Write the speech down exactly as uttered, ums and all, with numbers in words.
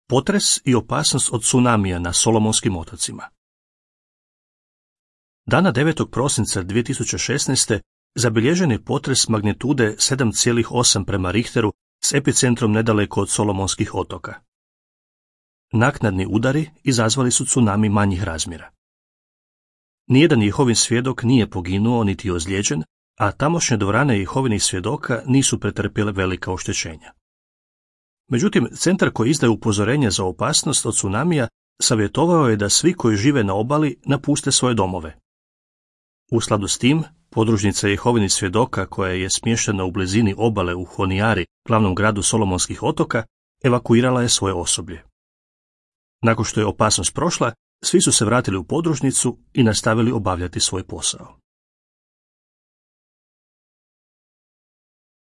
Potres i opasnost od tsunamija na Solomonskim otocima. Dana devetog prosinca dvije tisuće šesnaeste. zabilježen je potres magnitude sedam zarez osam prema Richteru s epicentrom nedaleko od Solomonskih otoka. Naknadni udari izazvali su tsunami manjih razmjera. Nijedan Jehovin svjedok nije poginuo niti ozlijeđen, a tamošnje dvorane Jehovinih svjedoka nisu pretrpjele velika oštećenja. Međutim, centar koji izdaje upozorenja za opasnost od tsunamija savjetovao je da svi koji žive na obali napuste svoje domove. U skladu s tim, podružnica Jehovinih svjedoka koja je smještena u blizini obale u Honijari, glavnom gradu Solomonskih otoka, evakuirala je svoje osoblje. Nakon što je opasnost prošla, svi su se vratili u podružnicu i nastavili obavljati svoj posao.